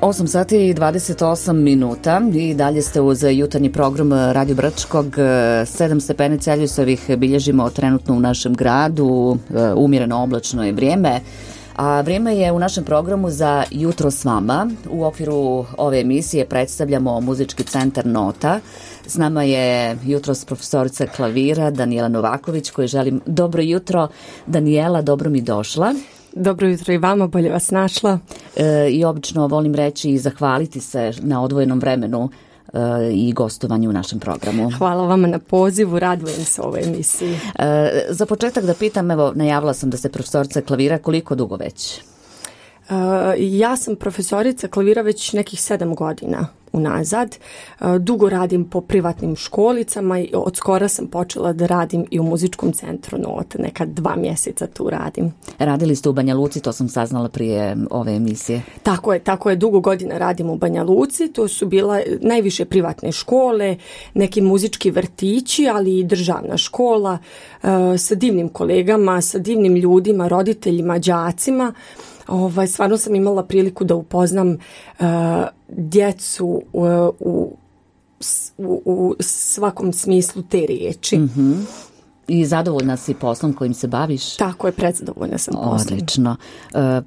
8 sati i 28 minuta i dalje ste uz jutarnji program Radio Brčkog. 7 stepeni Celzijusovih bilježimo trenutno u našem gradu, umjereno oblačno je vrijeme. A vrijeme je u našem programu za Jutro s vama. U okviru ove emisije predstavljamo muzički centar Nota. S nama je jutros profesorica klavira Danijela Novaković, kojoj želim dobro jutro. Danijela, dobro mi došla. Dobro jutro i vama, bolje vas našla. I obično volim reći i zahvaliti se na odvojenom vremenu i gostovanju u našem programu. Hvala vama na pozivu, radujem se ovoj emisiji. Za početak da pitam, evo, najavila sam da ste profesorica klavira, koliko dugo već? Ja sam profesorica klavira već nekih 7 godina unazad. Dugo radim po privatnim školicama i od skora sam počela da radim i u muzičkom centru Nota. Nekad 2 mjeseca tu radim. Radili ste u Banja Luci, to sam saznala prije ove emisije. Tako je, dugo godina radim u Banja Luci. To su bila najviše privatne škole, neki muzički vrtići, ali i državna škola sa divnim kolegama, sa divnim ljudima, roditeljima, đacima. Stvarno sam imala priliku da upoznam djecu u svakom smislu te riječi. Mm-hmm. I zadovoljna si poslom kojim se baviš? Tako je, predzadovoljna sam poslom. Odlično.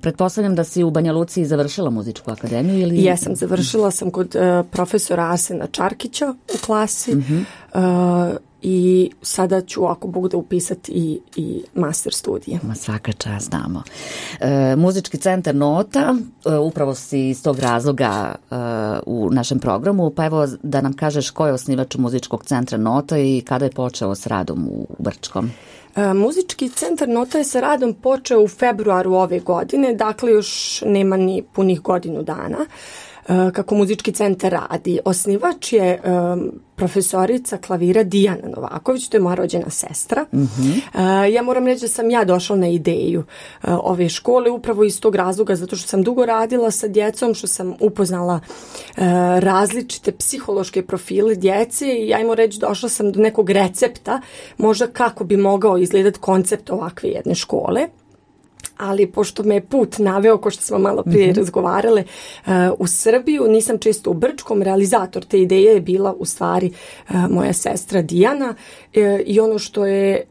Pretpostavljam da si u Banja Luci završila muzičku akademiju? Ili... Jesam, završila sam kod profesora Arsena Čarkića u klasi. Mm-hmm. I sada ću, ako Bog da, upisati i master studije. Svaka čast, znamo. Muzički centar Nota, upravo si iz tog razloga u našem programu, pa evo da nam kažeš ko je osnivač muzičkog centra Nota i kada je počeo s radom u Brčkom? Muzički centar Nota je sa radom počeo u februaru ove godine, dakle još nema ni punih godinu dana kako muzički centar radi. Osnivač je profesorica klavira Dijana Novaković, to je moja rođena sestra. Mm-hmm. Ja moram reći da sam ja došla na ideju ove škole upravo iz tog razloga, zato što sam dugo radila sa djecom, što sam upoznala različite psihološke profile djece i ajmo reći došla sam do nekog recepta možda kako bi mogao izgledati koncept ovakve jedne škole. Ali pošto me je put naveo, ko što smo malo prije razgovarale, u Srbiju, nisam često u Brčkom, realizator te ideje je bila u stvari moja sestra Dijana i ono što je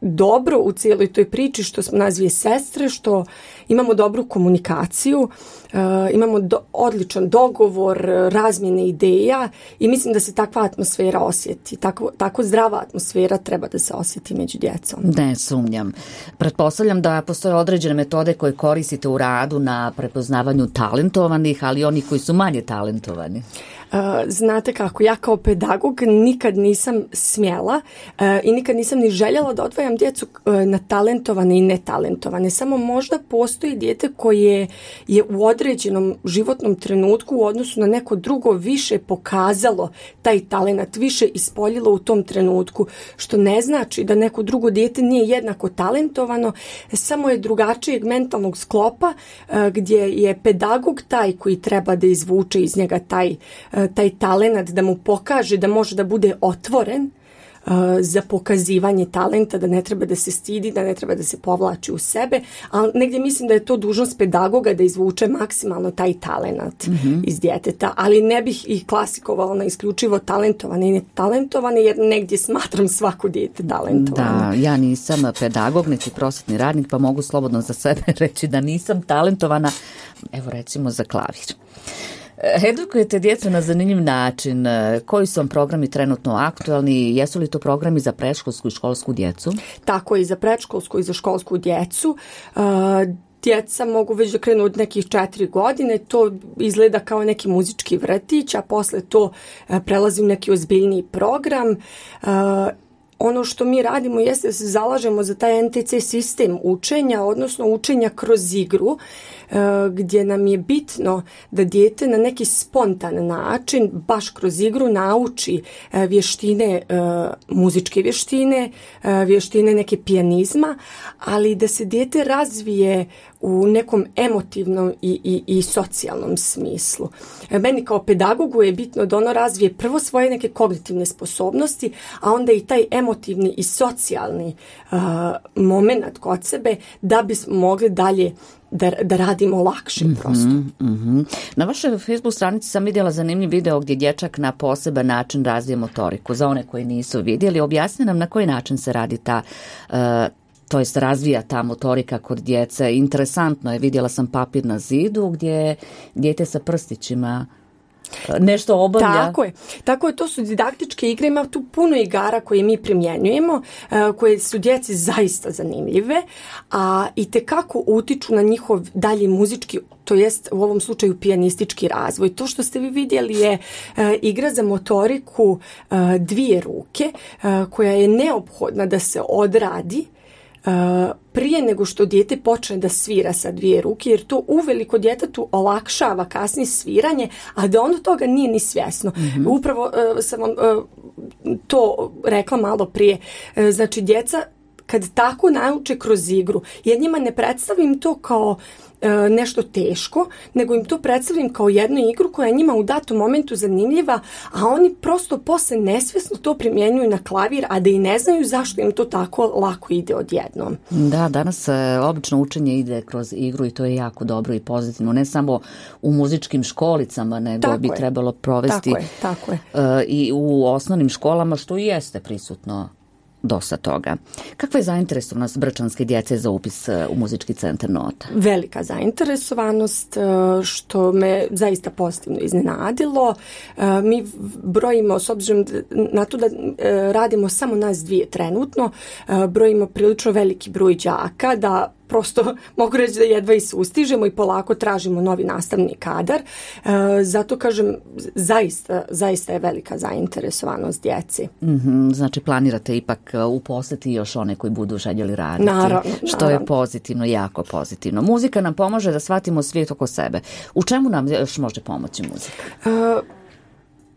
dobro u cijeloj toj priči, što smo nazvije sestre, što imamo dobru komunikaciju, imamo odličan dogovor, razmjene ideja i mislim da se takva atmosfera osjeti. Tako zdrava atmosfera treba da se osjeti među djecom. Ne sumnjam. Pretpostavljam da postoje određene metode koje koristite u radu na prepoznavanju talentovanih, ali onih koji su manje talentovani. Znate kako, ja kao pedagog nikad nisam smjela i nikad nisam ni željela da odvajam djecu na talentovane i netalentovane. Samo možda postoji dijete koje je u određenom životnom trenutku u odnosu na neko drugo više pokazalo taj talent, više ispoljilo u tom trenutku, što ne znači da neko drugo dijete nije jednako talentovano, samo je drugačijeg mentalnog sklopa gdje je pedagog taj koji treba da izvuče iz njega taj talent, da mu pokaže da može da bude otvoren za pokazivanje talenta, da ne treba da se stidi, da ne treba da se povlači u sebe, ali negdje mislim da je to dužnost pedagoga da izvuče maksimalno taj talent iz djeteta, ali ne bih ih klasikovala na isključivo talentovane i netalentovane, jer negdje smatram svako dijete talentovano. Da, ja nisam pedagog, niti prosvetni radnik, pa mogu slobodno za sebe reći da nisam talentovana, evo recimo za klavir. Edukujete djecu na zanimljiv način. Koji su vam programi trenutno aktualni? Jesu li to programi za predškolsku i školsku djecu? Tako i za predškolsku i za školsku djecu. Djeca mogu već da krenu od nekih 4 godine, to izgleda kao neki muzički vrtić, a posle to prelazi u neki ozbiljniji program. Ono što mi radimo jeste da se zalažemo za taj NTC sistem učenja, odnosno učenja kroz igru, gdje nam je bitno da dijete na neki spontan način, baš kroz igru, nauči vještine, muzičke vještine, vještine neke pijanizma, ali da se dijete razvije u nekom emotivnom i socijalnom smislu. Meni kao pedagogu je bitno da ono razvije prvo svoje neke kognitivne sposobnosti, a onda i taj emotivni i socijalni moment kod sebe da bismo mogli dalje da radimo lakše prosto. Na vašoj Facebook stranici sam vidjela zanimljiv video gdje dječak na poseban način razvije motoriku. Za one koji nisu vidjeli, objasni nam na koji način se radi ta to jest razvija ta motorika kod djece. Interesantno je, vidjela sam papir na zidu gdje dijete sa prstićima nešto obavlja. Tako je, to su didaktičke igre, ima tu puno igara koje mi primjenjujemo, koje su djeci zaista zanimljive, a itekako utiču na njihov dalji muzički, to jest u ovom slučaju pijanistički razvoj. To što ste vi vidjeli je igra za motoriku dvije ruke, koja je neophodna da se odradi prije nego što dijete počne da svira sa dvije ruke, jer to uveliko djetetu olakšava kasnije sviranje, a da ono toga nije ni svjesno. Upravo sam vam to rekla malo prije. Znači, djeca kad tako nauče kroz igru, ja njima ne predstavim to kao nešto teško, nego im to predstavim kao jednu igru koja je njima u datom momentu zanimljiva, a oni prosto posle nesvjesno to primjenjuju na klavir, a da i ne znaju zašto im to tako lako ide odjednom. Da, danas obično učenje ide kroz igru i to je jako dobro i pozitivno, ne samo u muzičkim školicama, nego bi trebalo provesti tako je. I u osnovnim školama, što i jeste prisutno dosta toga. Kakva je zainteresovanost brčanske djece za upis u muzički centar Nota? Velika zainteresovanost, što me zaista pozitivno iznenadilo. Mi brojimo, s obzirom na to da radimo samo nas dvije trenutno, brojimo prilično veliki broj đaka, da prosto mogu reći da jedva i sustižemo i polako tražimo novi nastavni kadar. Zato kažem, zaista je velika zainteresovanost djeci. Znači planirate ipak uposliti još one koji budu željeli raditi. Naravno. Što je pozitivno, jako pozitivno. Muzika nam pomaže da shvatimo svijet oko sebe. U čemu nam još može pomoći muzika?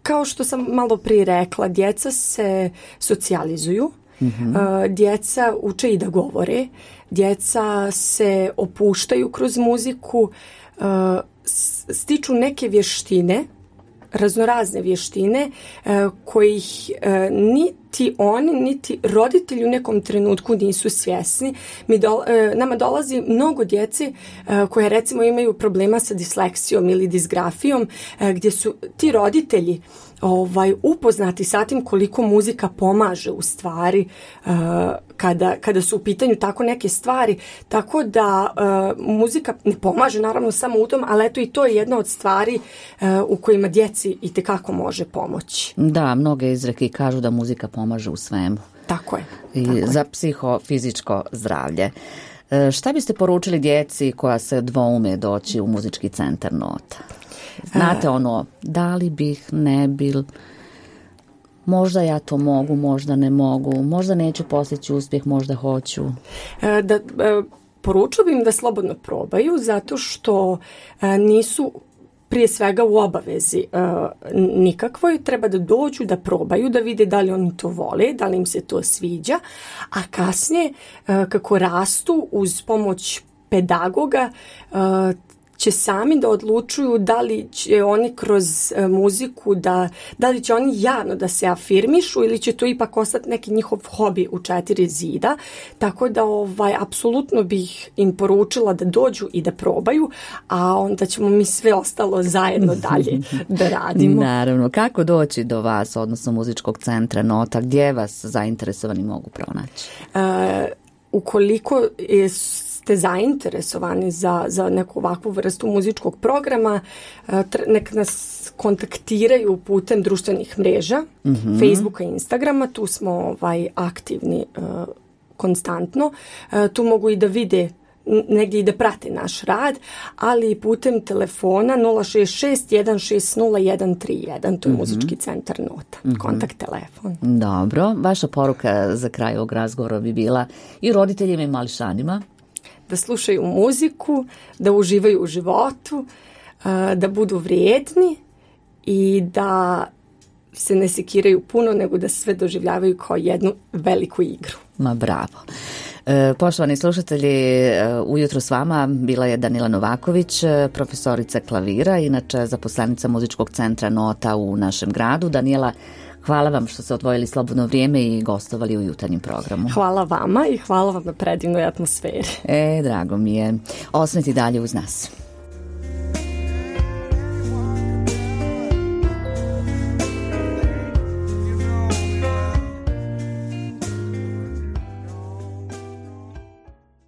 Kao što sam malo prije rekla, djeca se socijalizuju. Djeca uče i da govore, djeca se opuštaju kroz muziku, stiču neke vještine, raznorazne vještine kojih niti oni, niti roditelji u nekom trenutku nisu svjesni. Nama dolazi mnogo djece koje recimo imaju problema sa disleksijom ili disgrafijom, gdje su ti roditelji upoznati sa tim koliko muzika pomaže u stvari kada su u pitanju tako neke stvari, tako da muzika ne pomaže naravno samo u tom, ali eto i to je jedna od stvari u kojima djeci itekako može pomoći. Da, mnoge izreke kažu da muzika pomaže u svemu. Tako je. Za psihofizičko zdravlje. Šta biste poručili djeci koja se dvoume doći u muzički centar Nota? Znate da li bih, ne bil, možda ja to mogu, možda ne mogu, možda neću postići uspjeh, možda hoću. Poručila bih im da slobodno probaju, zato što nisu prije svega u obavezi nikakvoj, treba da dođu, da probaju, da vide da li oni to vole, da li im se to sviđa, a kasnije kako rastu uz pomoć pedagoga će sami da odlučuju da li će oni kroz muziku, da li će oni javno da se afirmišu ili će to ipak ostati neki njihov hobi u 4 zida. Tako da apsolutno bih im poručila da dođu i da probaju, a onda ćemo mi sve ostalo zajedno dalje da radimo. Naravno, kako doći do vas, odnosno muzičkog centra Nota, gdje vas zainteresovani mogu pronaći? Ukoliko ste zainteresovani za neku ovakvu vrstu muzičkog programa, nek nas kontaktiraju putem društvenih mreža, Facebooka i Instagrama, tu smo aktivni konstantno, tu mogu i da vide negdje i da prate naš rad, ali i putem telefona 066 160 131, to je muzički centar Nota, kontakt telefon. Dobro, vaša poruka za kraj ovog razgovora bi bila i roditeljima i mališanima? Da slušaju muziku, da uživaju u životu, da budu vrijedni i da se ne sekiraju puno, nego da sve doživljavaju kao jednu veliku igru. Ma bravo. Poštovani slušatelji, ujutro s vama bila je Danila Novaković, profesorica klavira, inače zaposlenica Muzičkog centra Nota u našem gradu. Danijela, hvala vam što ste odvojili slobodno vrijeme i gostovali u jutarnjem programu. Hvala vama i hvala vam na predivnoj atmosferi. Drago mi je. Ostanite dalje uz nas.